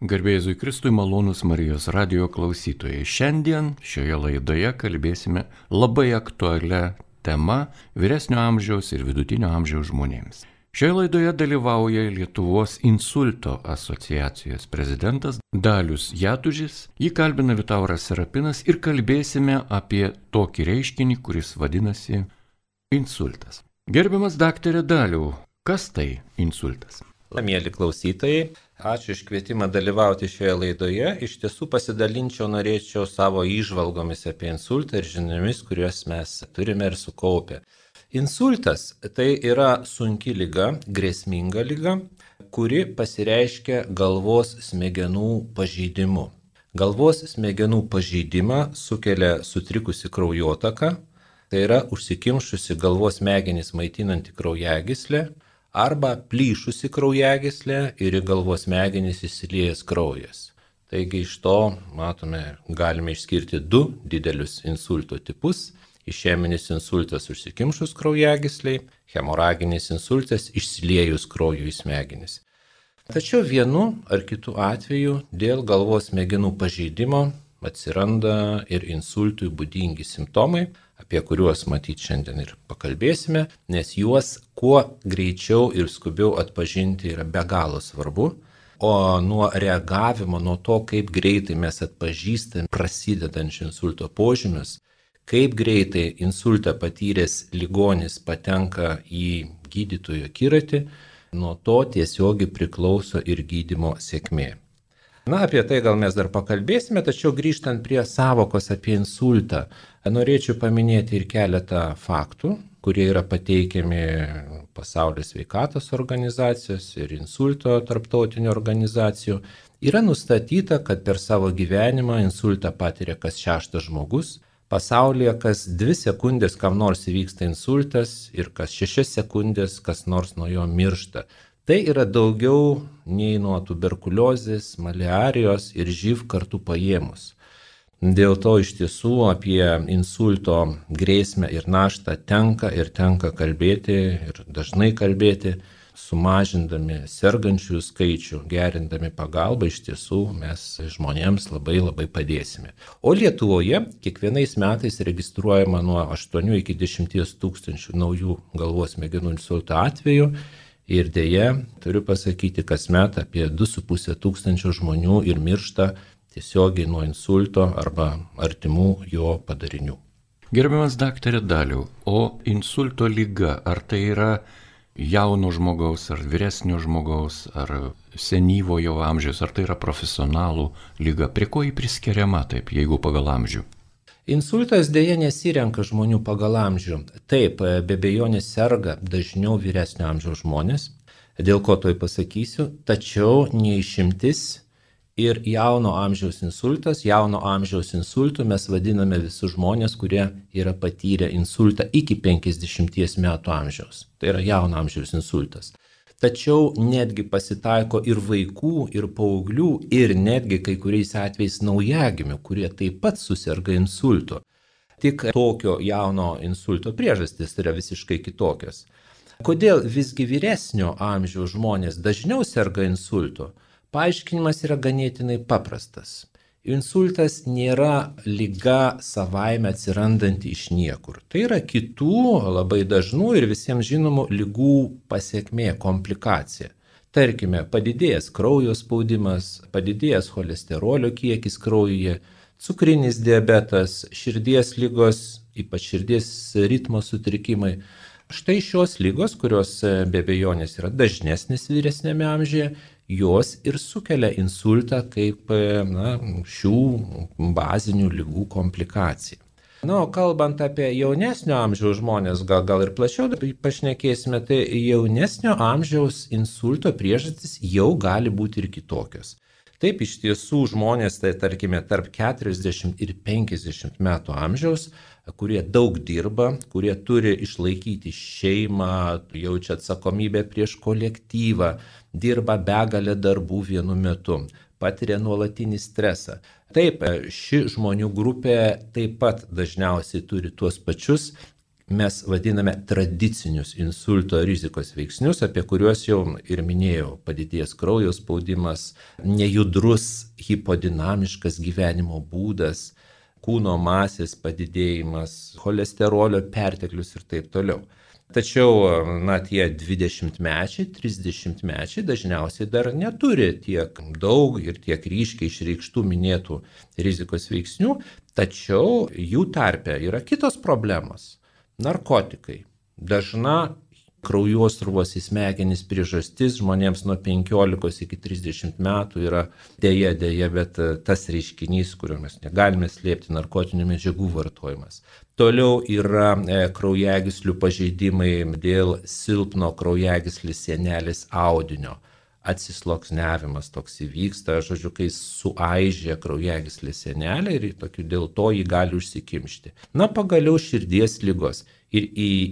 Garbėjai Kristui, malonūs Marijos radijo klausytojai. Šiandien šioje laidoje kalbėsime labai aktualią temą vyresnio amžiaus ir vidutinio amžiaus žmonėms. Šioje laidoje dalyvauja Lietuvos insulto asociacijos prezidentas Dalius Jatužis, jį kalbina Vitauras Serapinas ir kalbėsime apie tokį reiškinį, kuris vadinasi insultas. Gerbiamas daktarė Daliau, kas tai insultas? Mėly klausytojai, ačiū iš kvietimą dalyvauti šioje laidoje. Iš tiesų norėčiau savo įžvalgomis apie insultą ir žiniomis, kuriuos mes turime ir sukaupę. Insultas tai yra sunki liga, grėsminga liga, kuri pasireiškia galvos smegenų pažeidimu. Galvos smegenų pažeidimą sukelia sutrikusi kraujotaka, tai yra užsikimšusi galvos smegenys maitinanti kraujagyslę, arba plyšusi kraujagyslė ir į galvos smegenis įsiliejęs kraujas. Taigi iš to, galime išskirti du didelius insulto tipus. Išeminis insultas užsikimšus kraujagysliai, hemoraginis insultas išsiliejus krauju į smegenis. Tačiau vienu ar kitu atveju dėl galvos smegenų pažeidimo atsiranda ir insultui būdingi simptomai, apie kuriuos šiandien ir pakalbėsime, nes juos kuo greičiau ir skubiau atpažinti yra be galo svarbu, o nuo reagavimo, nuo to, kaip greitai mes atpažįstame prasidedančių insulto požymius, kaip greitai insultą patyręs ligonis patenka į gydytojo akiratį, nuo to tiesiogiai priklauso ir gydymo sėkmė. Apie tai gal mes dar pakalbėsime, tačiau grįžtant prie savokos apie insultą, norėčiau paminėti ir keletą faktų, kurie yra pateikiami Pasaulio sveikatos organizacijos ir insulto tarptautinių organizacijų. Yra nustatyta, kad per savo gyvenimą insultą patiria kas 6 žmogus, pasaulyje kas 2 sekundės kam nors įvyksta insultas ir kas 6 sekundės kas nors nuo jo miršta. Tai yra daugiau nei nuo tuberkuliozės, maliarijos ir živ kartu paėmus. Dėl to iš tiesų apie insulto grėsmę ir naštą tenka kalbėti ir dažnai kalbėti, sumažindami sergančiųjų skaičių, gerindami pagalbą, iš tiesų mes žmonėms labai padėsime. O Lietuvoje kiekvienais metais registruojama nuo 8 iki 10 tūkstančių naujų galvos smegenų insulto atvejų. Ir deja, turiu pasakyti, kasmet apie 2,5 tūkstančio žmonių ir miršta tiesiogiai nuo insulto arba artimų jo padarinių. Gerbiamas daktarė Daliau, o insulto liga, ar tai yra jauno žmogaus, ar vyresnio žmogaus, ar senyvojo amžiaus, ar tai yra profesionalų liga? Prie ko jį priskiriama taip, jeigu pagal amžių? Insultas dėja nesirenka žmonių pagal amžių. Taip, be abejonės serga dažniau vyresnio amžiaus žmonės, dėl ko toj pasakysiu, tačiau neišimtis ir jauno amžiaus insultas. Jauno amžiaus insultu mes vadiname visus žmonės, kurie yra patyrę insultą iki 50 metų amžiaus. Tai yra jauno amžiaus insultas. Tačiau netgi pasitaiko ir vaikų, ir paauglių, ir netgi kai kuriais atvejais naujagimių, kurie taip pat suserga insultu. Tik tokio jauno insulto priežastys yra visiškai kitokios. Kodėl visgi vyresnio amžiaus žmonės dažniau serga insultu? Paaiškinimas yra ganėtinai paprastas. Insultas nėra liga savaime atsirandanti iš niekur. Tai yra kitų labai dažnų ir visiems žinomų ligų pasekmė, komplikacija. Tarkime, padidėjęs kraujo spaudimas, padidėjęs cholesterolio kiekis kraujyje, cukrinis diabetas, širdies ligos, ypač širdies ritmo sutrikimai. Štai šios ligos, kurios be abejonės yra dažnesnės vyresnėme amžiuje, jos ir sukelia insultą kaip šių bazinių ligų komplikacija. O kalbant apie jaunesnio amžiaus žmonės, gal ir plačiau pašnekėsime, tai jaunesnio amžiaus insulto priežastys jau gali būti ir kitokios. Taip, iš tiesų žmonės, tai tarkime, tarp 40 ir 50 metų amžiaus, kurie daug dirba, kurie turi išlaikyti šeimą, jaučia atsakomybę prieš kolektyvą, dirba begalę darbų vienu metu, patiria nuolatinį stresą. Taip, ši žmonių grupė taip pat dažniausiai turi tuos pačius mes vadiname tradicinius insulto rizikos veiksnius, apie kuriuos jau ir minėjau: padidėjęs kraujo spaudimas, nejudrus hipodinamiškas gyvenimo būdas, kūno masės padidėjimas, cholesterolio perteklius ir taip toliau. Tačiau, tie 20-mečiai, 30-mečiai dažniausiai dar neturi tiek daug ir tiek ryškiai išreikštų minėtų rizikos veiksnių, tačiau jų tarpe yra kitos problemos. Narkotikai. Dažna kraujosruvos į smegenis priežastis žmonėms nuo 15 iki 30 metų yra deja, bet tas reiškinys, kurio mes negalime slėpti, narkotinių medžiagų vartojimas. Toliau yra kraujagyslių pažeidimai dėl silpno kraujagyslės sienelės audinio. Atsisluoksniavimas toks įvyksta, kai suaižė kraujagyslės sienelę ir dėl to jį gali užsikimšti. Pagaliau širdies ligos ir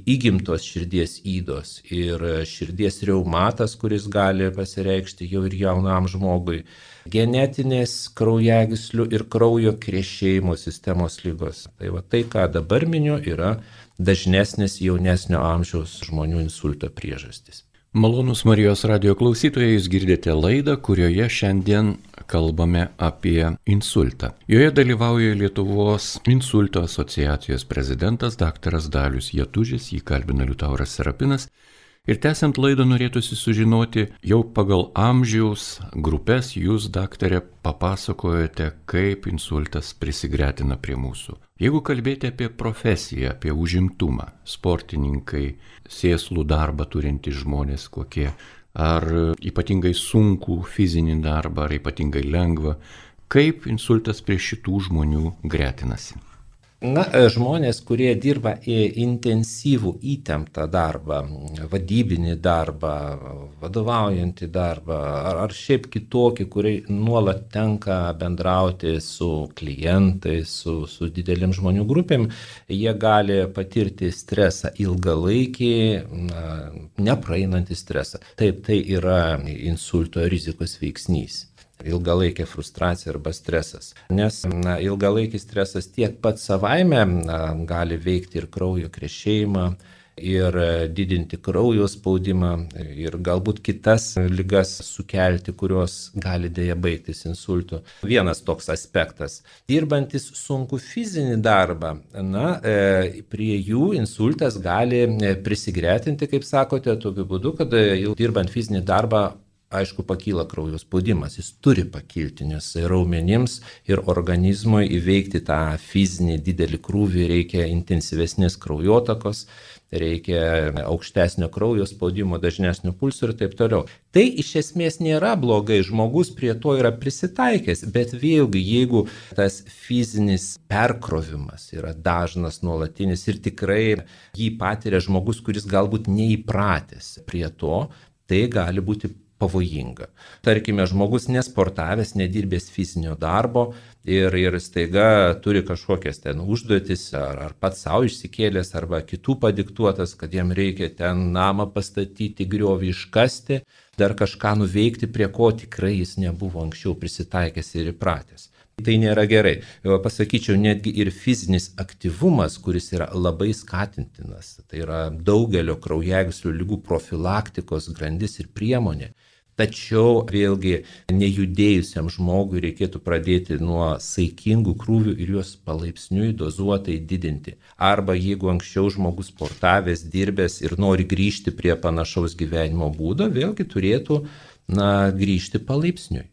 įgimtos širdies ydos ir širdies reumatas, kuris gali pasireikšti jau ir jaunam žmogui, genetinės kraujagyslių ir kraujo krešėjimo sistemos ligos. Tai, ką dabar miniu, yra dažnesnės jaunesnio amžiaus žmonių insulto priežastys. Malonūs Marijos radijo klausytojai, jūs girdite laidą, kurioje šiandien kalbame apie insultą. Joje dalyvauja Lietuvos insulto asociacijos prezidentas dr. Dalius Jatužis, jį kalbina Liutauras Serapinas. Ir tęsiant laidą norėtųsi sužinoti, jau pagal amžiaus grupės jūs, daktarė, papasakojate, kaip insultas prisigretina prie mūsų. Jeigu kalbėti apie profesiją, apie užimtumą, sportininkai, sėslų darbą turintys žmonės kokie, ar ypatingai sunkų fizinį darbą, ar ypatingai lengvą, kaip insultas prie šitų žmonių gretinasi? Žmonės, kurie dirba intensyvų įtemptą darbą, vadybinį darbą, vadovaujantį darbą, ar šiaip kitokį, kuriai nuolat tenka bendrauti su klientais, su didelėm žmonių grupėm, jie gali patirti stresą ilgalaikį, nepraeinantį stresą. Taip, tai yra insulto rizikos veiksnys. Ilgalaikė frustracija arba stresas. Nes ilgalaikis stresas tiek pat savaime gali veikti ir kraujo krešėjimą, ir didinti kraujo spaudimą, ir galbūt kitas ligas sukelti, kurios gali dėja baigtis insultu. Vienas toks aspektas. Dirbantis sunku fizinį darbą, prie jų insultas gali prisigretinti, kaip sakote, tokiu būdu, kad jau dirbant fizinį darbą, aišku, pakyla kraujo spaudimas, jis turi pakilti, nes raumenims ir organizmui įveikti tą fizinį didelį krūvį reikia intensyvesnės kraujotakos, reikia aukštesnio kraujo spaudimo, dažnesnio pulso ir taip toliau. Tai iš esmės nėra blogai, žmogus prie to yra prisitaikęs, bet vėlgi, jeigu tas fizinis perkrovimas yra dažnas, nuolatinis ir tikrai jį patiria žmogus, kuris galbūt neįpratęs prie to, tai gali būti pavojinga. Tarkime, žmogus nesportavęs, nedirbęs fizinio darbo ir staiga turi kažkokias ten užduotis, ar pats savo išsikėlęs, arba kitų padiktuotas, kad jam reikia ten namą pastatyti, griovį iškasti, dar kažką nuveikti, prie ko tikrai jis nebuvo anksčiau prisitaikęs ir įpratęs. Tai nėra gerai. Pasakyčiau, netgi ir fizinis aktyvumas, kuris yra labai skatintinas, tai yra daugelio kraujagyslių ligų profilaktikos grandis ir priemonė. Tačiau vėlgi nejudėjusiam žmogui reikėtų pradėti nuo saikingų krūvių ir juos palaipsniui dozuotai didinti. Arba jeigu anksčiau žmogus sportavęs, dirbęs ir nori grįžti prie panašaus gyvenimo būdo, vėlgi turėtų grįžti palaipsniui.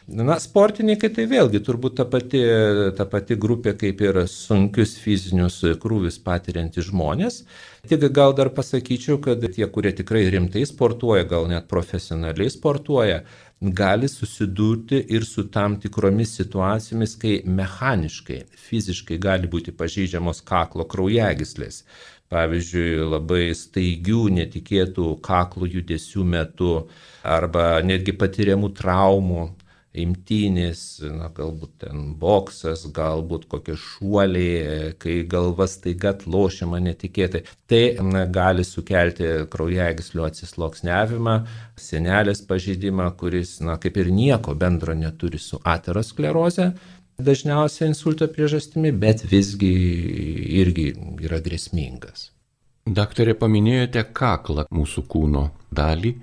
Sportininkai tai vėlgi turbūt ta pati grupė kaip ir sunkius fizinius krūvius patiriantys žmonės. Tik gal dar pasakyčiau, kad tie, kurie tikrai rimtai sportuoja, gal net profesionaliai sportuoja, gali susidurti ir su tam tikromis situacijomis, kai mechaniškai, fiziškai gali būti pažeidžiamos kaklo kraujagyslės. Pavyzdžiui, labai staigių, netikėtų kaklo judesių metu arba netgi patiriamų traumų. Imtynės, galbūt ten boksas, galbūt kokie šuoliai, kai galva staiga atlošiama netikėtai. Tai gali sukelti kraujagyslių atsisluoksniavimą, sienelės pažeidimą, kuris kaip ir nieko bendro neturi su ateroskleroze, dažniausiai insulto priežastimi, bet visgi irgi yra grėsmingas. Daktarė, paminėjote kaklą, mūsų kūno dalį,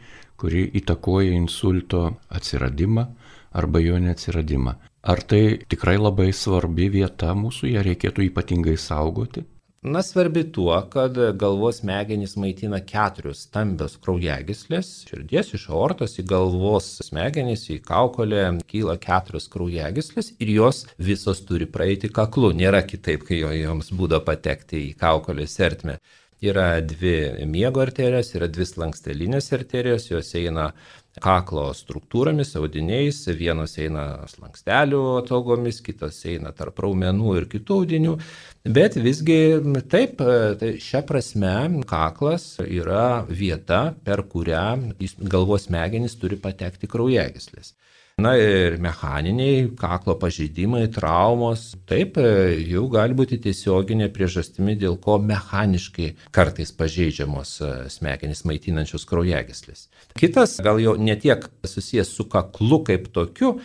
kuri įtakoja insulto atsiradimą arba jo neatsiradimą. Ar tai tikrai labai svarbi vieta mūsų, ją reikėtų ypatingai saugoti? Na, svarbi tuo, kad galvos smegenys maitina 4 stambios kraujagyslės. Širdies iš aortos į galvos smegenys, į kaukolę kyla 4 kraujagyslės ir jos visos turi praeiti kaklu. Nėra kitaip, kai joms būdo patekti į kaukolės ertmę. Yra 2 miego arterijos, yra 2 slankstelinės arterijos, jos eina kaklo struktūromis, audiniais, vienos eina slankstelių atogomis, kitos eina tarp raumenų ir kitų audinių, bet visgi taip, tai šia prasme kaklas yra vieta, per kurią galvos smegenys turi patekti kraujagyslės. Na ir mechaniniai kaklo pažeidimai, traumos, taip, jau gali būti tiesioginė priežastimi, dėl ko mechaniškai kartais pažeidžiamos smegenys maitinančios kraujagyslės. Kitas, gal jau ne tiek susijęs su kaklu kaip tokiu,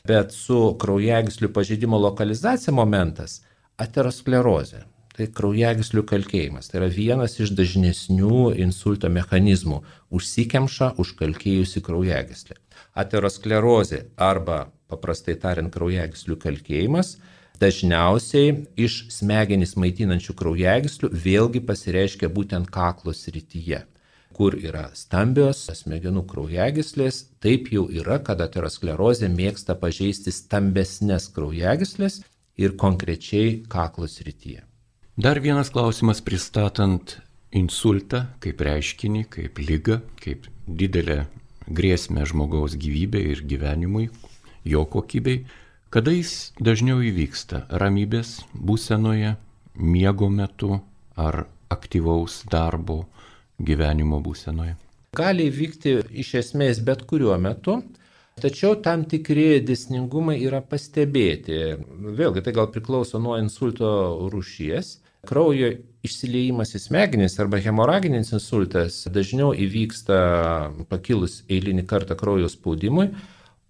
bet su kraujagyslių pažeidimo lokalizacija momentas – aterosklerozė. Tai kraujagyslių kalkėjimas. Tai yra vienas iš dažnesnių insulto mechanizmų – užsikemša užkalkėjusi kraujagyslė. Aterosklerozė arba, paprastai tariant, kraujagyslių kalkėjimas dažniausiai iš smegenis maitinančių kraujagyslių vėlgi pasireiškia būtent kaklo srityje, kur yra stambios smegenų kraujagyslės. Taip jau yra, kad aterosklerozė mėgsta pažeisti stambesnės kraujagyslės ir konkrečiai kaklo srityje. Dar vienas klausimas pristatant insultą kaip reiškinį, kaip ligą, kaip didelę grėsmę žmogaus gyvybei ir gyvenimui, jo kokybei. Kada jis dažniau įvyksta? Ramybės būsenoje, miego metu ar aktyvaus darbo gyvenimo būsenoje? Gali įvykti iš esmės bet kuriuo metu, tačiau tam tikri dėsningumai yra pastebėti. Vėlgi tai gal priklauso nuo insulto rūšies. Kraujo išsiliejimas į smegenis arba hemoraginis insultas dažniau įvyksta pakilus eilinį kartą kraujo spaudimui,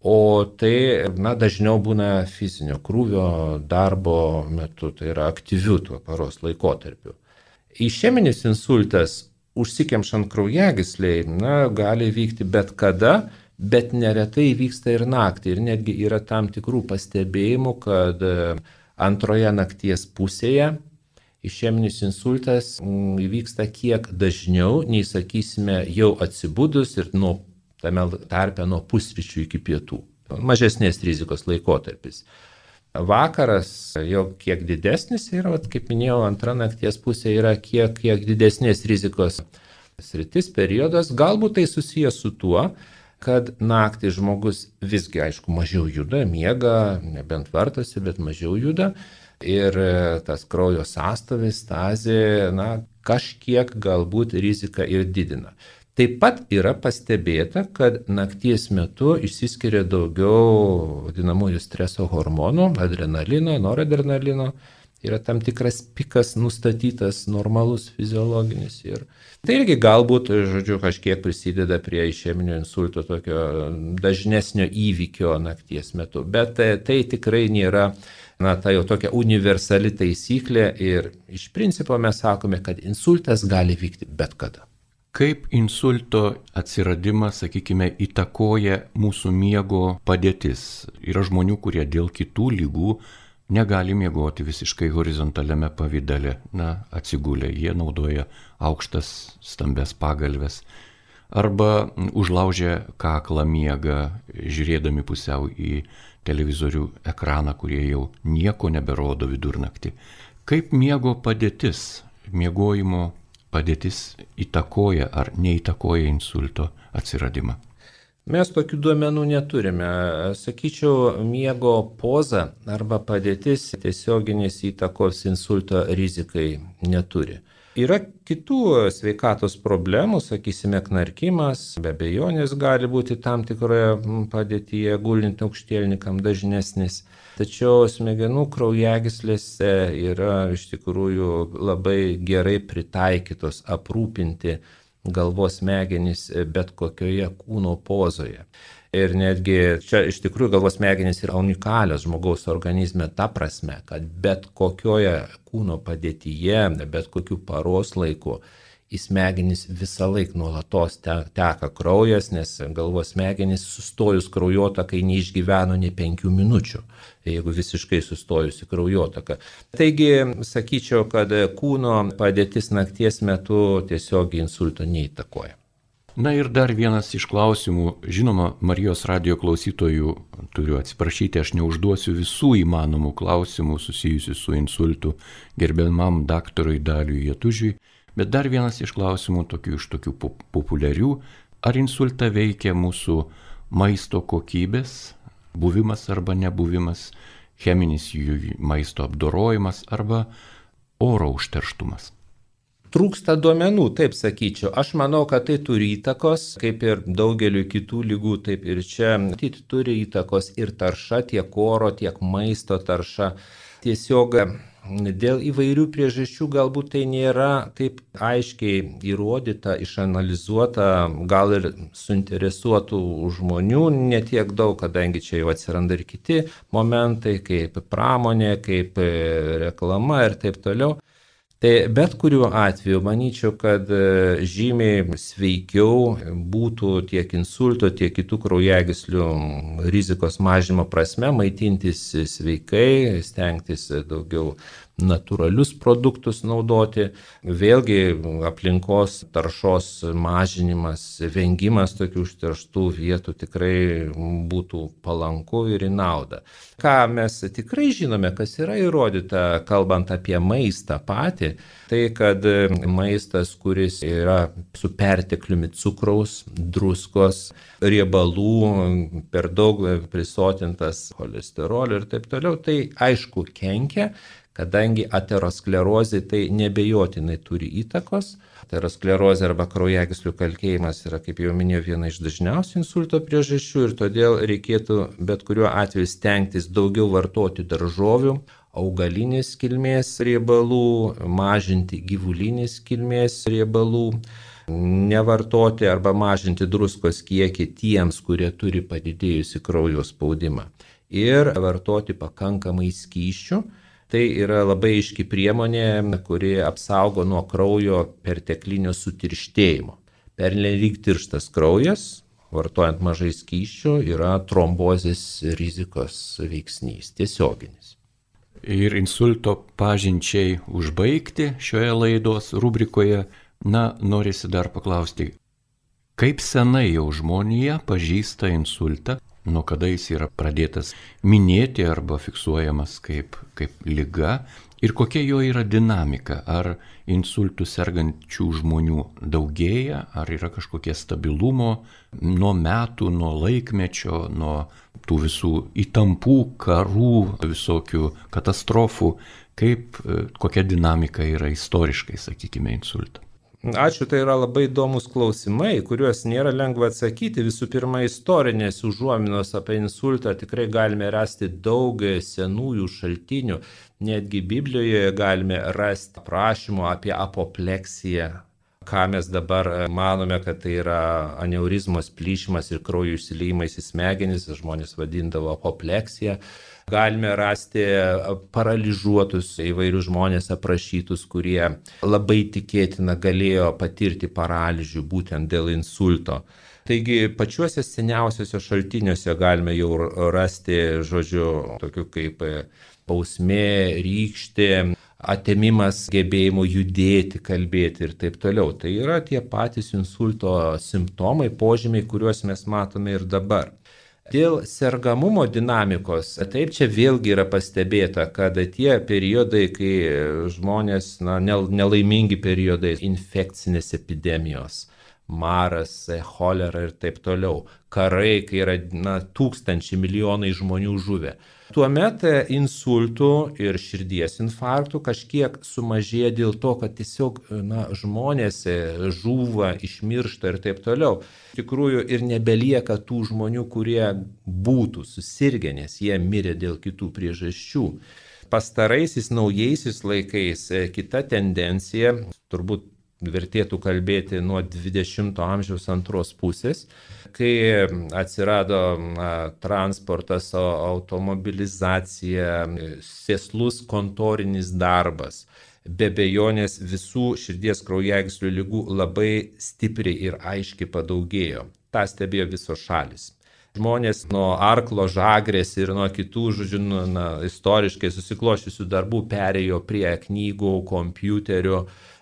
o tai dažniau būna fizinio krūvio darbo metu, tai yra aktyvių tuo paros laikotarpiu. Išeminis insultas užsikemšant kraujagysliai gali vykti bet kada, bet neretai vyksta ir naktį. Ir netgi yra tam tikrų pastebėjimų, kad antroje nakties pusėje išeminis insultas įvyksta kiek dažniau, nei, sakysime, jau atsibudus ir tame tarpe nuo pusryčių iki pietų. Mažesnės rizikos laikotarpis. Vakaras jau kiek didesnis yra, kaip minėjau, antra nakties pusė yra kiek didesnės rizikos sritis, periodas. Galbūt tai susijęs su tuo, kad naktį žmogus visgi, aišku, mažiau juda, miega, nebent vartosi, bet mažiau juda. Ir tas kraujo sąstovis, stazė, kažkiek galbūt riziką ir didina. Taip pat yra pastebėta, kad nakties metu išsiskiria daugiau vadinamųjų streso hormonų, adrenalino, noradrenalino. Yra tam tikras pikas nustatytas, normalus, fiziologinis. Ir tai irgi galbūt, kažkiek prisideda prie išeminio insulto tokio dažnesnio įvykio nakties metu. Bet tai tikrai nėra ta jau tokia universali taisyklė ir iš principo mes sakome, kad insultas gali vykti bet kada. Kaip insulto atsiradimas, sakykime, įtakoja mūsų miego padėtis? Yra žmonių, kurie dėl kitų ligų negali miegoti visiškai horizontaliame pavydale. Atsigulę, jie naudoja aukštas stambes pagalves. Arba užlaužia kaklą miegą, žiūrėdami pusiau į televizorių ekraną, kurie jau nieko neberodo vidurnaktį. Kaip miego padėtis, miegojimo padėtis įtakoja ar neįtakoja insulto atsiradimą? Mes tokių duomenų neturime. Sakyčiau, miego poza arba padėtis tiesioginės įtakos insulto rizikai neturi. Yra kitų sveikatos problemų, sakysime, knarkimas, be abejonės gali būti tam tikroje padėtyje gulint aukštielnikam dažnesnis. Tačiau smegenų kraujagyslėse yra iš tikrųjų labai gerai pritaikytos aprūpinti galvos smegenys bet kokioje kūno pozoje. Ir netgi čia iš tikrųjų galvos smegenys yra unikalios žmogaus organizme ta prasme, kad bet kokioje kūno padėtyje, bet kokiu paros laiku į smegenis visą laiką nuolatos teka kraujas, nes galvos smegenys sustojus kraujotakai neišgyveno nei 5 minučių, jeigu visiškai sustojusi kraujotaka. Taigi, sakyčiau, kad kūno padėtis nakties metu tiesiog insulto neįtakoja. Na ir dar vienas iš klausimų, žinoma, Marijos radijo klausytojų turiu atsiprašyti, aš neužduosiu visų įmanomų klausimų susijusių su insultu gerbiamam daktarui Daliui Jatužiui, bet dar vienas iš klausimų iš tokių populiarių, ar insultą veikia mūsų maisto kokybės, buvimas arba nebuvimas, cheminis jų maisto apdorojimas arba oro užterštumas. Trūksta duomenų, taip sakyčiau. Aš manau, kad tai turi įtakos, kaip ir daugeliu kitų ligų, taip ir čia. Turi įtakos ir tarša, tiek oro, tiek maisto tarša. Tiesiog dėl įvairių priežasčių galbūt tai nėra taip aiškiai įrodyta, išanalizuota, gal ir suinteresuotų žmonių netiek daug, kadangi čia jau atsiranda ir kiti momentai, kaip pramonė, kaip reklama ir taip toliau. Tai bet kuriuo atveju manyčiau, kad žymiai sveikiau būtų tiek insulto, tiek kitų kraujagyslių rizikos mažinimo prasme maitintis sveikai, stengtis daugiau natūralius produktus naudoti. Vėlgi aplinkos taršos mažinimas, vengimas tokių užterštų vietų tikrai būtų palanku ir į naudą. Ką mes tikrai žinome, kas yra įrodyta, kalbant apie maistą patį, tai kad maistas, kuris yra su pertekliumi cukraus, druskos, riebalų, per daug prisotintas cholesterolio ir taip toliau, tai aišku kenkia, kadangi aterosklerozė tai nebejotinai turi įtakos. Aterosklerozė arba kraujagyslių kalkėjimas yra, kaip jau minėjau, viena iš dažniausių insulto priežasčių ir todėl reikėtų bet kuriuo atveju stengtis daugiau vartoti daržovių, augalinės kilmės riebalų, mažinti gyvulinės kilmės riebalų, nevartoti arba mažinti druskos kiekį tiems, kurie turi padidėjusi kraujo spaudimą ir vartoti pakankamai skysčių. Tai yra labai aiški priemonė, kuri apsaugo nuo kraujo perteklinio sutirštėjimo. Pernelyg tirštas kraujas, vartojant mažai skysčių, yra trombozės rizikos veiksnys, tiesioginis. Ir insulto pažinčiai užbaigti šioje laidos rubrikoje, norisi dar paklausti, kaip senai jau žmonija pažįsta insultą, nuo kada jis yra pradėtas minėti arba fiksuojamas kaip liga ir kokia jo yra dinamika, ar insultų sergančių žmonių daugėja, ar yra kažkokie stabilumo nuo metų, nuo laikmečio, nuo tų visų įtampų, karų, visokių katastrofų, kokia dinamika yra istoriškai, sakykime, insulto. Ačiū, tai yra labai įdomus klausimai, kuriuos nėra lengva atsakyti. Visų pirma, istorinės užuominos apie insultą tikrai galime rasti daug senųjų šaltinių. Netgi Biblijoje galime rasti aprašymų apie apopleksiją, ką mes dabar manome, kad tai yra aneurizmos plyšimas ir kraujo išsiliejimas į smegenis, žmonės vadindavo apopleksija. Galime rasti paralyžiuotus įvairius žmonės aprašytus, kurie labai tikėtina galėjo patirti paralyžių būtent dėl insulto. Taigi pačiuose seniausiuose šaltiniuose galime jau rasti, tokių kaip bausmė, rykštė, atėmimas gebėjimo judėti, kalbėti ir taip toliau. Tai yra tie patys insulto simptomai, požymiai, kuriuos mes matome ir dabar. Dėl sergamumo dinamikos, taip čia vėlgi yra pastebėta, kad tie periodai, kai žmonės, nelaimingi periodai, infekcinės epidemijos, maras, cholera ir taip toliau, karai, kai yra tūkstančiai, milijonai žmonių žuvę. Tuomet insultų ir širdies infarktų kažkiek sumažėja dėl to, kad tiesiog žmonės žūva, išmiršta ir taip toliau. Iš tikrųjų ir nebelieka tų žmonių, kurie būtų susirgę, nes jie mirė dėl kitų priežasčių. Pastaraisiais naujaisiais laikais kita tendencija, turbūt vertėtų kalbėti nuo 20 amžiaus antros pusės, kai atsirado transportas, automobilizacija, sėslus kontorinis darbas. be abejonės visų širdies kraujagyslių ligų labai stipriai ir aiškiai padaugėjo. Ta stebėjo visos šalis. Žmonės nuo arklo žagrės ir nuo kitų, istoriškai susikloščiusių darbų perėjo prie knygų, kompiuterių,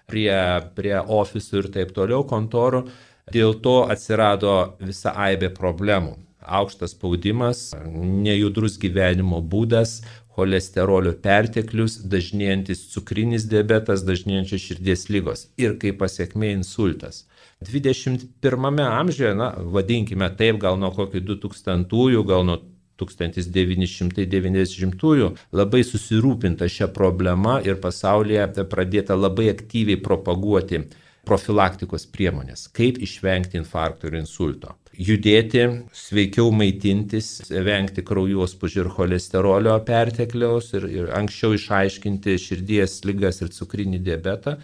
prie ofisų ir taip toliau, kontorų. Dėl to atsirado visa aibė problemų. Aukštas spaudimas, nejudrus gyvenimo būdas, cholesterolio perteklius, dažnėjantis cukrinis diabetas, dažnėjančios širdies ligos ir kaip pasekmė insultas. 21 amžiuje, vadinkime taip, gal nuo kokių 2000-ųjų, gal nuo 1990-ųjų labai susirūpinta šią problemą ir pasaulyje pradėta labai aktyviai propaguoti profilaktikos priemonės, kaip išvengti infarkto ir insulto. Judėti, sveikiau maitintis, vengti kraujospūdžio ir cholesterolio pertekliaus ir anksčiau išaiškinti širdies ligas ir cukrinį diabetą.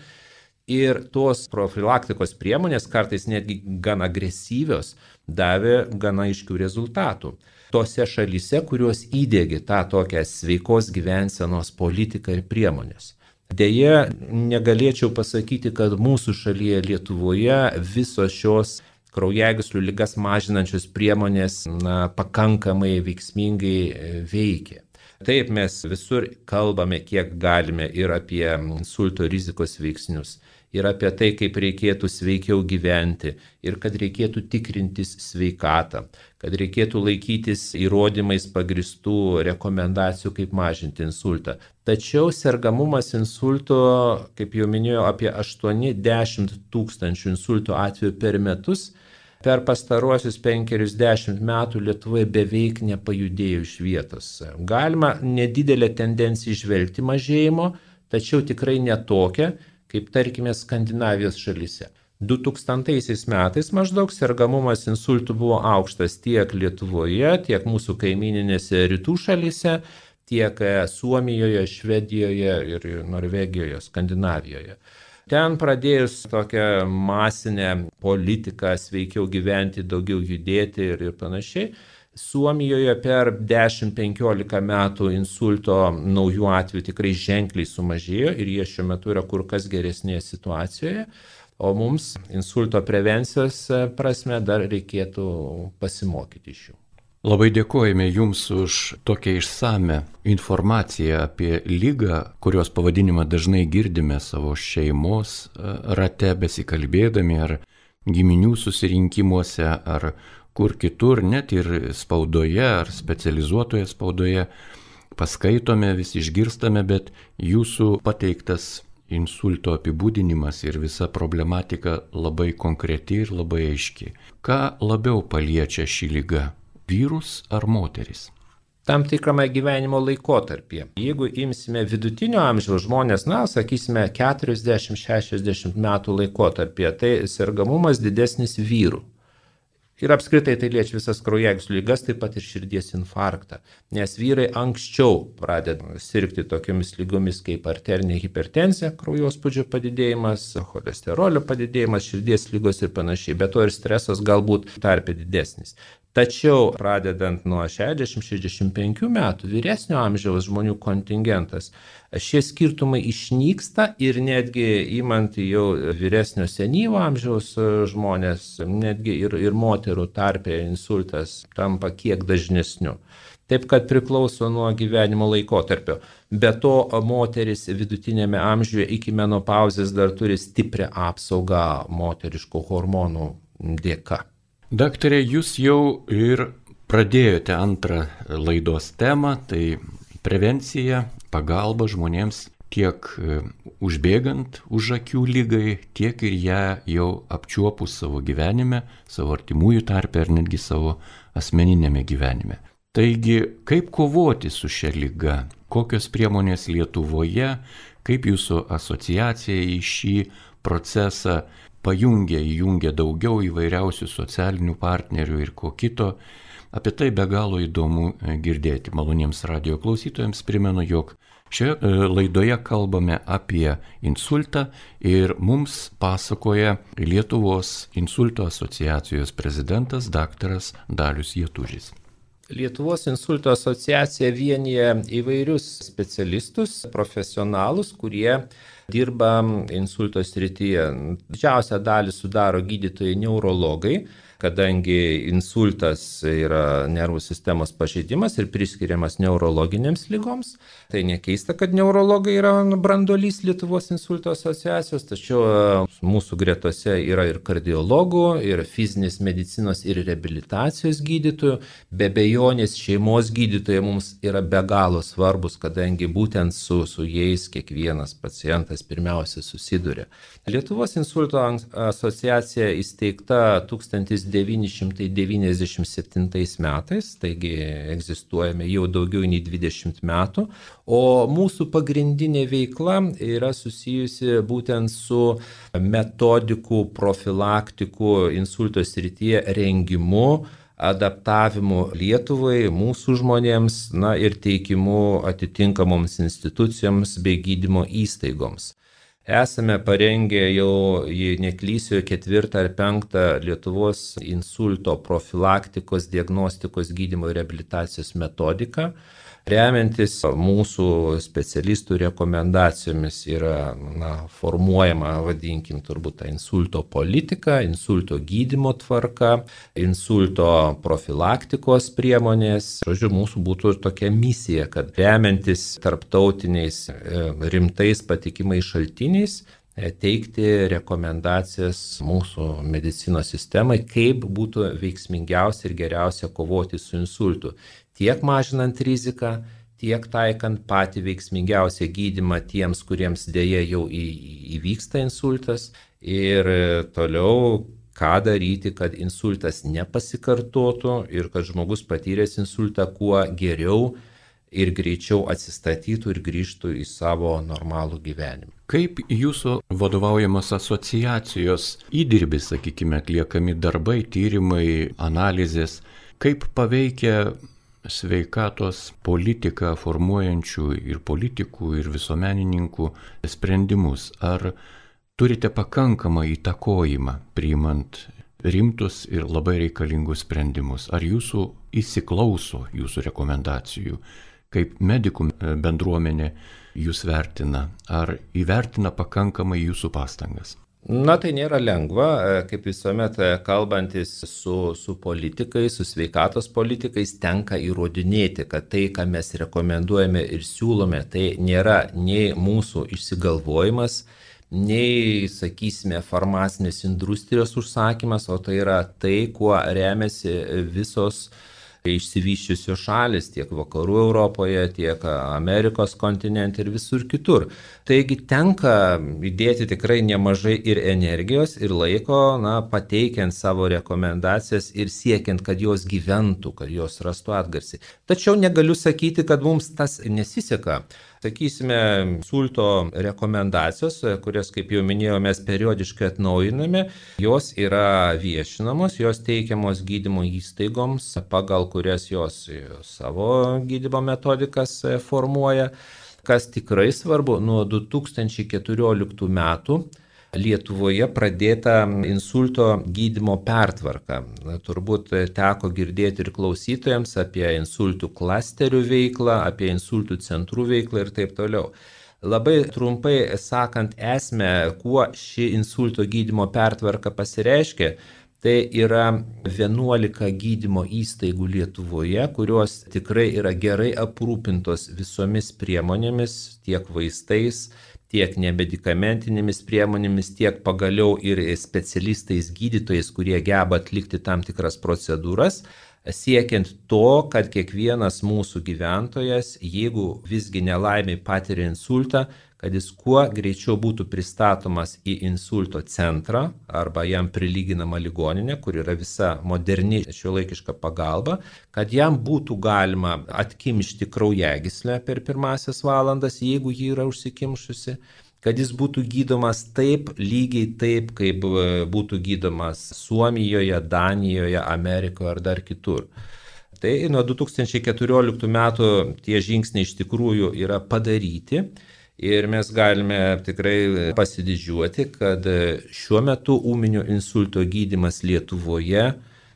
Ir tos profilaktikos priemonės, kartais netgi gan agresyvios, davė gana aiškių rezultatų. Tose šalyse, kurios įdėgė tą tokią sveikos gyvensenos politiką ir priemonės. Deja, negalėčiau pasakyti, kad mūsų šalyje Lietuvoje visos šios kraujagyslių ligas mažinančios priemonės pakankamai veiksmingai veikia. Taip, mes visur kalbame, kiek galime ir apie insulto rizikos veiksnius, ir apie tai, kaip reikėtų sveikiau gyventi, ir kad reikėtų tikrintis sveikatą, kad reikėtų laikytis įrodymais pagristų rekomendacijų, kaip mažinti insultą. Tačiau sergamumas insulto, kaip jau minėjau, apie 8-10 tūkstančių insulto atvejų per metus, per pastaruosius 50 metų Lietuvoje beveik nepajudėjo iš vietos. Galima nedidelę tendenciją išvelgti mažėjimo, tačiau tikrai netokią, kaip tarkime Skandinavijos šalyse. 2000 metais maždaug sergamumas insultų buvo aukštas tiek Lietuvoje, tiek mūsų kaimininėse rytų šalyse, tiek Suomijoje, Švedijoje ir Norvegijoje, Skandinavijoje. Ten pradėjus tokią masinę politiką, sveikiau gyventi, daugiau judėti ir panašiai, Suomijoje per 10-15 metų insulto naujų atvejų tikrai ženkliai sumažėjo ir jie šiuo metu yra kur kas geresnėje situacijoje, o mums insulto prevencijos prasme dar reikėtų pasimokyti iš jų. Labai dėkojame Jums už tokią išsame informaciją apie ligą, kurios pavadinimą dažnai girdime savo šeimos rate besikalbėdami ar giminių susirinkimuose ar kur kitur, net ir spaudoje ar specializuotoje spaudoje paskaitome, vis išgirstame, bet Jūsų pateiktas insulto apibūdinimas ir visa problematika labai konkreti ir labai aiški. Ką labiau paliečia ši liga? Vyrus ar moteris? Tam tikrame gyvenimo laikotarpyje. Jeigu imsime vidutinio amžiaus žmonės, sakysime 40-60 metų laikotarpyje, tai sergamumas didesnis vyrų. Ir apskritai tai liečia visas kraujagyslių ligas, taip pat ir širdies infarktą. Nes vyrai anksčiau pradeda sirgti tokiamis lygomis kaip arterinė hipertenzija, kraujospūdžio padidėjimas, cholesterolio padidėjimas, širdies ligos ir panašiai. Be to ir stresas galbūt tarpe didesnis. Tačiau pradedant nuo 60-65 metų vyresnio amžiaus žmonių kontingentas, šie skirtumai išnyksta ir netgi imant jau vyresnio senyvo amžiaus žmonės, netgi ir moterų tarpe insultas tampa kiek dažnesniu. Taip kad priklauso nuo gyvenimo laikotarpio. Be to, moteris vidutinėme amžiuje iki menopauzės dar turi stiprią apsaugą moteriškų hormonų dėka. Daktare, jūs jau ir pradėjote antrą laidos temą, tai prevencija, pagalba žmonėms tiek užbėgant už akių ligai, tiek ir ją jau apčiuopus savo gyvenime, savo artimųjų tarpe ar netgi savo asmeninėme gyvenime. Taigi, kaip kovoti su šia liga? Kokios priemonės Lietuvoje, kaip jūsų asociacija į šį procesą įjungia daugiau įvairiausių socialinių partnerių ir ko kito. Apie tai be galo įdomu girdėti. Maloniems radijo klausytojams primenu, jog šioje laidoje kalbame apie insultą ir mums pasakoja Lietuvos insulto asociacijos prezidentas daktaras Dalius Jatužis. Lietuvos insulto asociacija vienyje įvairius specialistus, profesionalus, kurie dirba insulto srityje. Didžiausią dalį sudaro gydytojai neurologai, kadangi insultas yra nervų sistemos pažeidimas ir priskiriamas neurologinėms ligoms. Tai nekeista, kad neurologai yra branduolys Lietuvos insulto asociacijos, tačiau mūsų gretose yra ir kardiologų, ir fizinės medicinos ir reabilitacijos gydytojų. Be abejonės šeimos gydytojai mums yra be galo svarbus, kadangi būtent su jais kiekvienas pacientas pirmiausia susiduria. Lietuvos insulto asociacija įsteigta 1997 metais, taigi egzistuojame jau daugiau nei 20 metų, o mūsų pagrindinė veikla yra susijusi būtent su metodikų, profilaktikų insulto srityje rengimu, adaptavimu Lietuvai, mūsų žmonėms, ir teikimu atitinkamoms institucijoms bei gydymo įstaigoms. Esame parengę jau, jei neklysiu, 4 ar 5 Lietuvos insulto profilaktikos, diagnostikos, gydymo ir reabilitacijos metodiką. Remiantis mūsų specialistų rekomendacijomis yra formuojama, vadinkim, turbūt ta insulto politika, insulto gydymo tvarka, insulto profilaktikos priemonės. Žodžiu, mūsų būtų tokia misija, kad remiantis tarptautiniais rimtais patikimais šaltiniais, teikti rekomendacijas mūsų medicinos sistemai, kaip būtų veiksmingiausia ir geriausia kovoti su insultu. Tiek mažinant riziką, tiek taikant patį veiksmingiausią gydymą tiems, kuriems dėja jau įvyksta insultas, ir toliau ką daryti, kad insultas nepasikartotų ir kad žmogus patyręs insultą kuo geriau ir greičiau atsistatytų ir grįžtų į savo normalų gyvenimą. Kaip jūsų vadovaujamos asociacijos įdirbis, sakykime, atliekami darbai, tyrimai, analizės, kaip paveikia sveikatos politiką formuojančių ir politikų, ir visuomenininkų sprendimus? Ar turite pakankamą įtakojimą priimant rimtus ir labai reikalingus sprendimus? Ar jūsų įsiklauso jūsų rekomendacijų? Kaip medikų bendruomenė jūs vertina? Ar įvertina pakankamai jūsų pastangas? Tai nėra lengva, kaip visuomet kalbantis su politikais, su sveikatos politikais, tenka įrodinėti, kad tai, ką mes rekomenduojame ir siūlome, tai nėra nei mūsų išsigalvojimas, nei, sakysime, farmacinės industrijos užsakymas, o tai yra tai, kuo remiasi visos išsivysčiusios šalis tiek vakarų Europoje, tiek Amerikos kontinente ir visur kitur. Taigi tenka įdėti tikrai nemažai ir energijos, ir laiko, pateikiant savo rekomendacijas ir siekiant, kad jos gyventų, kad jos rastų atgarsį. Tačiau negaliu sakyti, kad mums tas nesiseka. Sakysime, insulto rekomendacijos, kurias, kaip jau minėjau, mes periodiškai atnaujiname, jos yra viešinamos, jos teikiamos gydymo įstaigoms, pagal kurias jos savo gydymo metodikas formuoja. Kas tikrai svarbu, nuo 2014 metų Lietuvoje pradėta insulto gydymo pertvarka. Turbūt teko girdėti ir klausytojams apie insultų klasterių veiklą, apie insultų centrų veiklą ir taip toliau. Labai trumpai sakant esmę, kuo ši insulto gydymo pertvarka pasireiškia, tai yra 11 gydymo įstaigų Lietuvoje, kurios tikrai yra gerai aprūpintos visomis priemonėmis, tiek vaistais, tiek nemedikamentinėmis priemonėmis, tiek pagaliau ir specialistais gydytojais, kurie geba atlikti tam tikras procedūras, siekiant to, kad kiekvienas mūsų gyventojas, jeigu visgi nelaimiai patiria insultą, kad jis kuo greičiau būtų pristatomas į insulto centrą arba jam prilyginama ligoninė, kur yra visa moderni šiuolaikiška pagalba, kad jam būtų galima atkimšti kraujagyslę per pirmasias valandas, jeigu ji yra užsikimšusi, kad jis būtų gydomas lygiai taip, kaip būtų gydomas Suomijoje, Danijoje, Amerikoje ar dar kitur. Tai nuo 2014 metų tie žingsniai iš tikrųjų yra padaryti. Ir mes galime tikrai pasididžiuoti, kad šiuo metu ūminio insulto gydymas Lietuvoje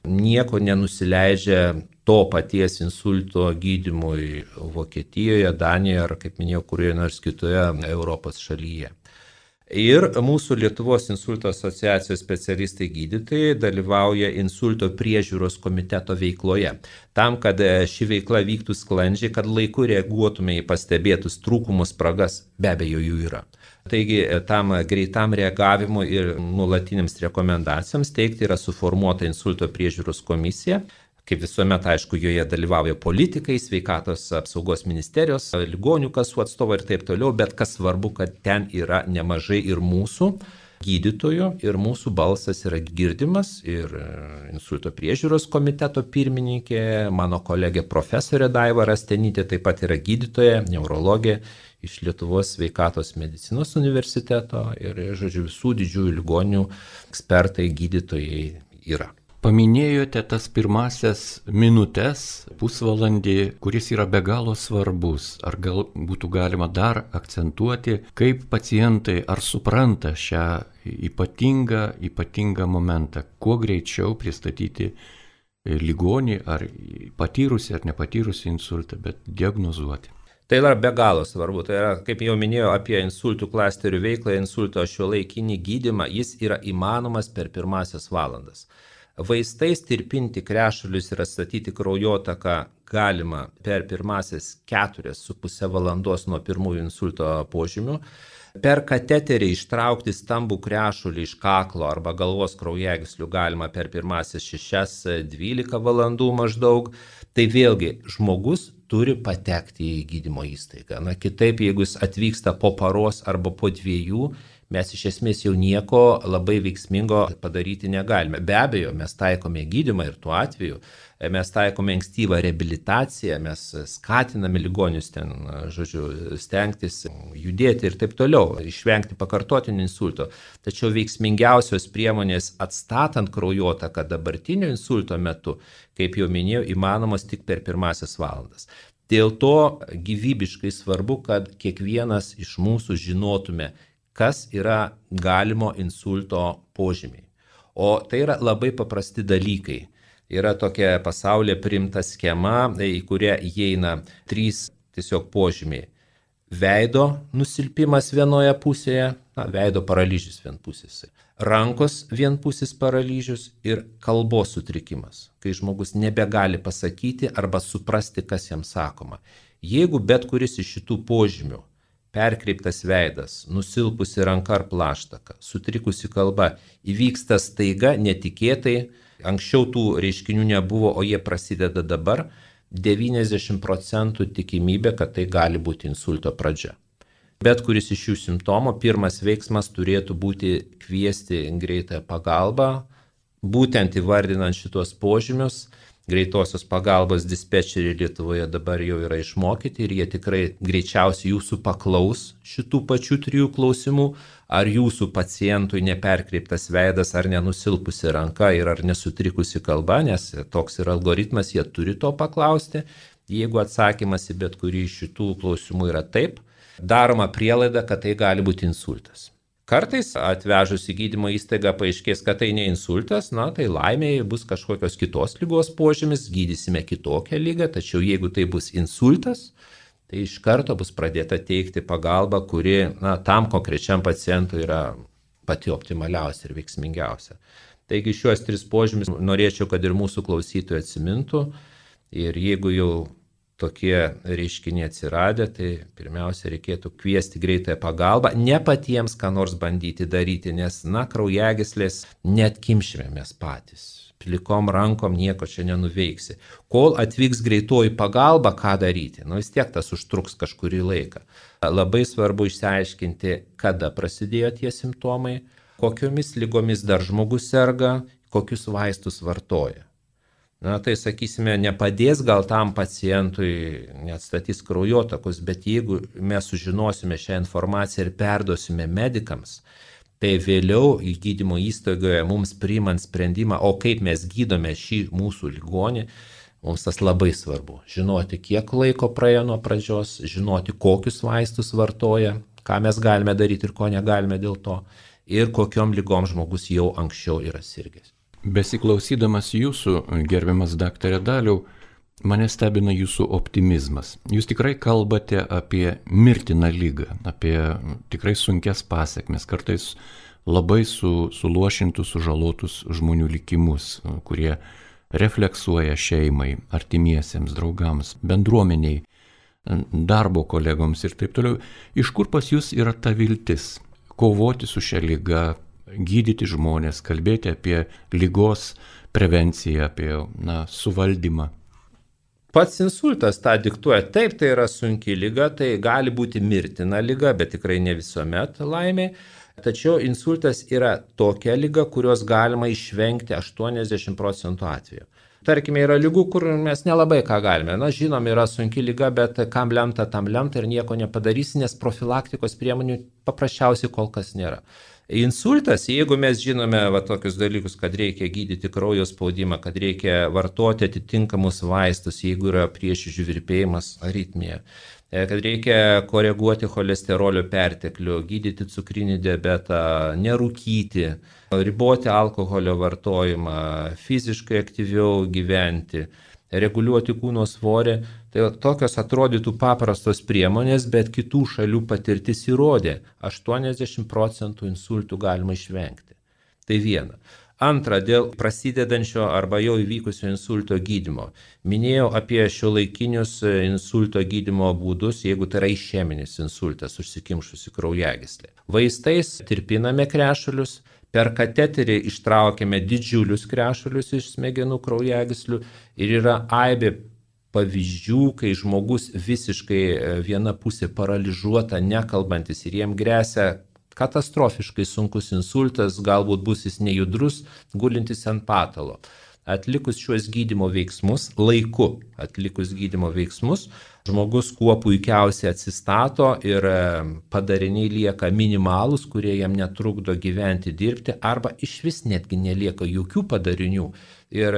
nieko nenusileidžia to paties insulto gydymui Vokietijoje, Danijoje ar, kaip minėjau, kurioje nors kitoje Europos šalyje. Ir mūsų Lietuvos insulto asociacijos specialistai gydytojai dalyvauja insulto priežiūros komiteto veikloje. Tam, kad ši veikla vyktų sklandžiai, kad laiku reaguotume į pastebėtus trūkumus, spragas, be abejo jų yra. Taigi tam greitam reagavimui ir nuolatiniams rekomendacijoms teikti yra suformuota insulto priežiūros komisija. Kaip visuomet, aišku, joje dalyvauja politikai, sveikatos apsaugos ministerijos, ligonių kasų atstovai ir taip toliau, bet kas svarbu, kad ten yra nemažai ir mūsų gydytojų, ir mūsų balsas yra girdimas, ir insulto priežiūros komiteto pirmininkė, mano kolegė profesorė Daiva Rastenytė, taip pat yra gydytoja, neurologė iš Lietuvos sveikatos medicinos universiteto ir, žodžiu, visų didžiųjų ligonių ekspertai, gydytojai yra. Paminėjote tas pirmasias minutės, pusvalandį, kuris yra be galo svarbus. Ar gal būtų galima dar akcentuoti, kaip pacientai ar supranta šią ypatingą momentą, kuo greičiau pristatyti ligonį ar patyrusį ar nepatyrusį insultą, bet diagnozuoti. Tai yra be galo svarbu. Tai yra, kaip jau minėjau, apie insultų klasterių veiklą, insulto šiuolaikinį gydymą, jis yra įmanomas per pirmasias valandas. Vaistais tirpinti krešulius ir atstatyti kraujotaką galima per pirmasias 4,5 valandos nuo pirmųjų insulto požymių. Per kateterį ištraukti stambų krešulį iš kaklo arba galvos kraujagyslių galima per pirmasias 6-12 valandų maždaug. Tai vėlgi žmogus turi patekti į gydymo įstaigą. Na, kitaip, jeigu jis atvyksta po paros arba po 2, mes iš esmės jau nieko labai veiksmingo padaryti negalime. Be abejo, mes taikome gydymą ir tuo atveju mes taikome ankstyvą reabilitaciją, mes skatiname ligonius ten, žodžiu, stengtis judėti ir taip toliau, išvengti pakartotinio insulto. Tačiau veiksmingiausios priemonės atstatant kraujotaką dabartinio insulto metu, kaip jau minėjau, įmanomos tik per pirmasias valandas. Dėl to gyvybiškai svarbu, kad kiekvienas iš mūsų žinotume, kas yra galimo insulto požymiai. O tai yra labai paprasti dalykai. Yra tokia pasaulyje priimta schema, į kurią įeina 3 tiesiog požymiai. Veido nusilpimas vienoje pusėje, veido paralyžius vienpusis. Rankos vienpusis paralyžius ir kalbos sutrikimas, kai žmogus nebegali pasakyti arba suprasti, kas jam sakoma. Jeigu bet kuris iš šitų požymių, perkreiptas veidas, nusilpusi ranka ar plaštaka, sutrikusi kalba, įvyksta staiga, netikėtai, anksčiau tų reiškinių nebuvo, o jie prasideda dabar, 90% tikimybė, kad tai gali būti insulto pradžia. Bet kuris iš šių simptomų, pirmas veiksmas turėtų būti kviesti greitąją pagalbą, būtent įvardinant šitos požymius. Greitosios pagalbos dispečeriai Lietuvoje dabar jau yra išmokyti ir jie tikrai greičiausiai jūsų paklaus šitų pačių 3 klausimų, ar jūsų pacientui neperkreiptas veidas, ar nenusilpusi ranka ir ar nesutrikusi kalba, nes toks yra algoritmas, jie turi to paklausti. Jeigu atsakymas į bet kurį iš šitų klausimų yra taip, daroma prielaida, kad tai gali būti insultas. Kartais atvežus į gydymo įstaigą paaiškės, kad tai ne insultas, tai laimėje bus kažkokios kitos ligos požymis, gydysime kitokią ligą, tačiau jeigu tai bus insultas, tai iš karto bus pradėta teikti pagalbą, kuri tam konkrečiam pacientui yra pati optimaliausia ir veiksmingiausia. Taigi šiuos 3 požymis norėčiau, kad ir mūsų klausytojai atsimintų ir jeigu jau tokie reiškiniai atsiradę, tai pirmiausia reikėtų kviesti greitąją pagalbą, ne patiems ką nors bandyti daryti, nes, kraujagyslės net kimšime mes patys. Plikom rankom nieko čia nenuveiksi. Kol atvyks greitoji pagalba, ką daryti? Vis tiek tas užtruks kažkurį laiką. Labai svarbu išsiaiškinti, kada prasidėjo tie simptomai, kokiomis ligomis dar žmogus serga, kokius vaistus vartoja. Tai sakysime, nepadės gal tam pacientui, neatstatys kraujotakos, bet jeigu mes sužinosime šią informaciją ir perduosime medikams, tai vėliau į gydymo įstaigoje mums priimant sprendimą, o kaip mes gydome šį mūsų ligonį, mums tas labai svarbu. Žinoti, kiek laiko praėjo nuo pradžios, žinoti, kokius vaistus vartoja, ką mes galime daryti ir ko negalime dėl to, ir kokiom ligom žmogus jau anksčiau yra sirgęs. Besiklausydamas jūsų, gerbiamas daktare Daliau, mane stebina jūsų optimizmas. Jūs tikrai kalbate apie mirtiną ligą, apie tikrai sunkias pasekmes, kartais labai suluošintus, sužalotus žmonių likimus, kurie refleksuoja šeimai, artimiesiems, draugams, bendruomeniai, darbo kolegoms ir taip toliau. Iš kur pas jūs yra ta viltis kovoti su šia liga, gydyti žmonės, kalbėti apie ligos prevenciją, apie suvaldymą? Pats insultas tą diktuoja. Taip, tai yra sunki liga, tai gali būti mirtina liga, bet tikrai ne visuomet laimiai. Tačiau insultas yra tokia liga, kurios galima išvengti 80% atveju. Tarkime, yra lygų, kur mes nelabai ką galime. Žinom, yra sunki liga, bet kam lemta, tam lemta ir nieko nepadarysi, nes profilaktikos priemonių paprasčiausiai kol kas nėra. Insultas, jeigu mes žinome tokius dalykus, kad reikia gydyti kraujo spaudimą, kad reikia vartoti atitinkamus vaistus, jeigu yra prieširdžių virpėjimas, aritmija, kad reikia koreguoti cholesterolio perteklių, gydyti cukrinį diabetą, nerūkyti, riboti alkoholio vartojimą, fiziškai aktyviau gyventi, reguliuoti kūno svorį. Tai tokios atrodytų paprastos priemonės, bet kitų šalių patirtis įrodė, 80% insultų galima išvengti. Tai viena. Antra, dėl prasidedančio arba jau įvykusio insulto gydymo. Minėjau apie šiuolaikinius insulto gydymo būdus, jeigu tai yra išeminis insultas, užsikimšusi kraujagyslė. Vaistais tirpiname krešulius, per kateterį ištraukiame didžiulius krešulius iš smegenų kraujagyslių ir yra aibė pavyzdžių, kai žmogus visiškai viena pusė paralyžiuota, nekalbantis ir jiem gresia katastrofiškai sunkus insultas, galbūt bus jis nejudrus, gulintis ant patalo. Atlikus šiuos gydymo veiksmus, laiku atlikus gydymo veiksmus, žmogus kuo puikiausiai atsistato ir padariniai lieka minimalūs, kurie jam netrukdo gyventi, dirbti, arba išvis netgi nelieka jokių padarinių. Ir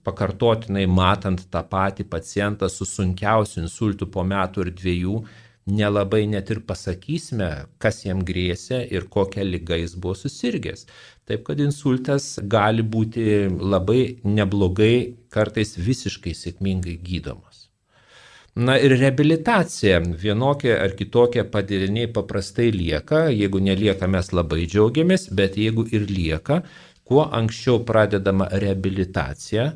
pakartotinai matant tą patį pacientą su sunkiausiu insultu po metų ir 2, nelabai net ir pasakysime, kas jam grėsė ir kokią ligą jis buvo susirgęs. Taip kad insultas gali būti labai neblogai, kartais visiškai sėkmingai gydomas. Ir reabilitacija, vienokie ar kitokie padariniai paprastai lieka, jeigu nelieka mes labai džiaugiamės, bet jeigu ir lieka, kuo anksčiau pradedama reabilitacija,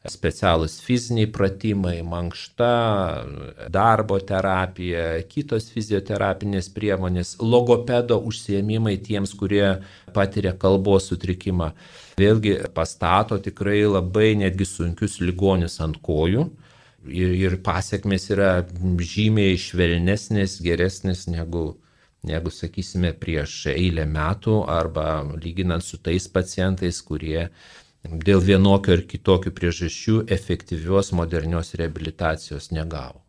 specialūs fiziniai pratimai, mankšta, darbo terapija, kitos fizioterapinės priemonės, logopedo užsiėmimai tiems, kurie patiria kalbos sutrikimą. Vėlgi pastato tikrai labai netgi sunkius ligonius ant kojų ir pasiekmes yra žymiai švelnesnės, geresnės negu sakysime, prieš eilę metų arba lyginant su tais pacientais, kurie dėl vienokio ir kitokių priežasčių efektyvios modernios reabilitacijos negavo.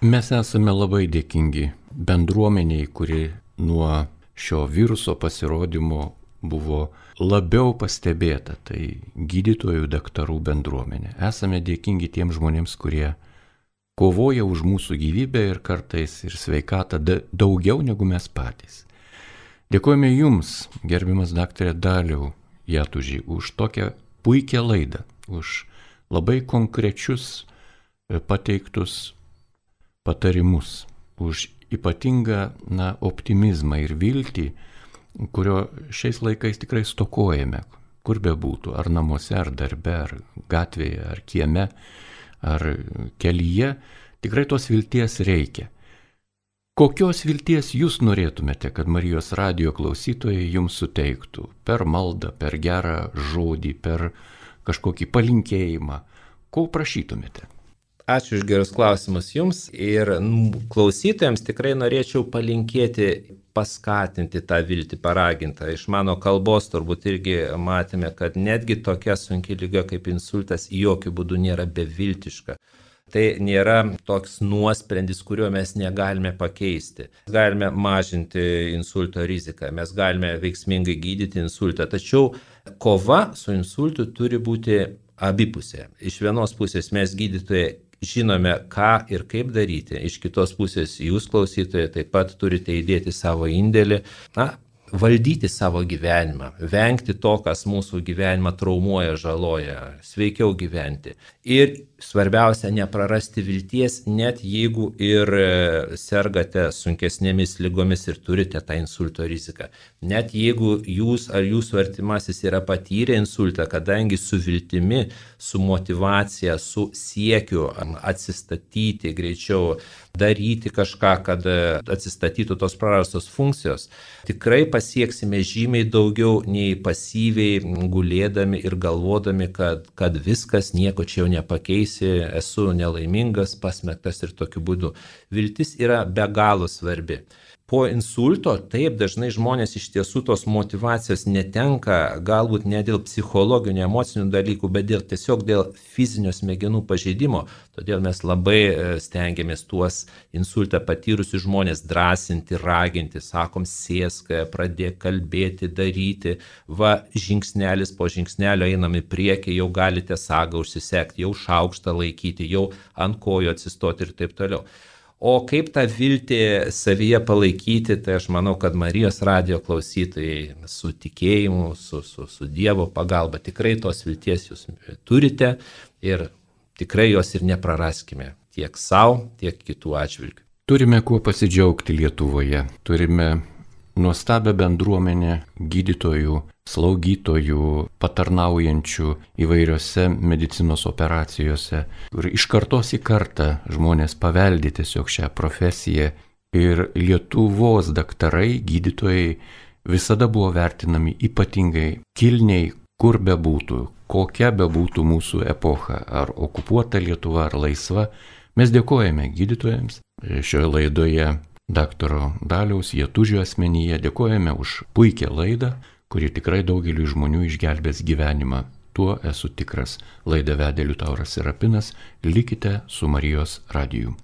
Mes esame labai dėkingi bendruomeniai, kuri nuo šio viruso pasirodymo buvo labiau pastebėta, tai gydytojų, daktarų bendruomenė. Esame dėkingi tiems žmonėms, kurie kovoja už mūsų gyvybę ir kartais ir sveikatą daugiau negu mes patys. Dėkojame Jums, gerbiamas daktarė Daliau Jatuži, už tokią puikią laidą, už labai konkrečius pateiktus patarimus, už ypatingą optimizmą ir viltį, kurio šiais laikais tikrai stokojame, kur bebūtų, ar namuose, ar darbe, ar gatvėje, ar kieme, ar kelyje, tikrai tos vilties reikia. Kokios vilties jūs norėtumėte, kad Marijos radijo klausytojai jums suteiktų per maldą, per gerą žodį, per kažkokį palinkėjimą? Ko prašytumėte? Ačiū už gerus klausimus jums ir klausytojams tikrai norėčiau palinkėti, paskatinti tą viltį, paragintą. Iš mano kalbos turbūt irgi matėme, kad netgi tokia sunki liga kaip insultas jokių būdų nėra beviltiška. Tai nėra toks nuosprendis, kurio mes negalime pakeisti. Galime mažinti insulto riziką, mes galime veiksmingai gydyti insultą, tačiau kova su insultu turi būti abipusė. Iš vienos pusės mes gydytojai žinome, ką ir kaip daryti, iš kitos pusės jūs klausytojai taip pat turite įdėti savo indėlį, valdyti savo gyvenimą, vengti to, kas mūsų gyvenimą traumuoja, žaloja, sveikiau gyventi. Ir svarbiausia, neprarasti vilties, net jeigu ir sergate sunkesnėmis lygomis ir turite tą insulto riziką. Net jeigu jūs ar jūsų artimasis yra patyrę insultą, kadangi su viltimi, su motivacija, su siekiu atsistatyti greičiau, daryti kažką, kad atsistatytų tos prarastos funkcijos, tikrai pasieksime žymiai daugiau nei pasyviai gulėdami ir galvodami, kad viskas, nieko čia jau nepakeisi, esu nelaimingas, pasmektas ir tokiu būdu. Viltis yra be galo svarbi. Po insulto taip dažnai žmonės iš tiesų tos motivacijos netenka, galbūt ne dėl psichologinių, emocinių dalykų, bet tiesiog dėl fizinio smegenų pažeidimo. Todėl mes labai stengiamės tuos insultą patyrusius žmonės drąsinti, raginti, sakom, sėsk, pradėk kalbėti, daryti, va, žingsnelis po žingsnelio einam į priekį, jau galite sagą užsisekti, jau šaukštą laikyti, jau ant kojų atsistoti ir taip toliau. O kaip tą viltį savyje palaikyti, tai aš manau, kad Marijos radijo klausytojai su tikėjimu, su Dievo pagalba tikrai tos vilties jūs turite ir tikrai jos ir nepraraskime tiek savo, tiek kitų atžvilgių. Turime kuo pasidžiaugti Lietuvoje, turime nuostabią bendruomenę gydytojų, slaugytojų, patarnaujančių įvairiose medicinos operacijose. Ir iš kartos į kartą žmonės paveldi tiesiog šią profesiją. Ir Lietuvos daktarai, gydytojai visada buvo vertinami ypatingai kilniai, kur bebūtų, kokia bebūtų mūsų epocha, ar okupuota Lietuva, ar laisva. Mes dėkojame gydytojams. Šioje laidoje daktaro Daliaus Jatužio asmenyje dėkojame už puikią laidą, kuri tikrai daugeliu žmonių išgelbės gyvenimą. Tuo esu tikras. Laidą vedė Liutauras Serapinas. Likite su Marijos radiju.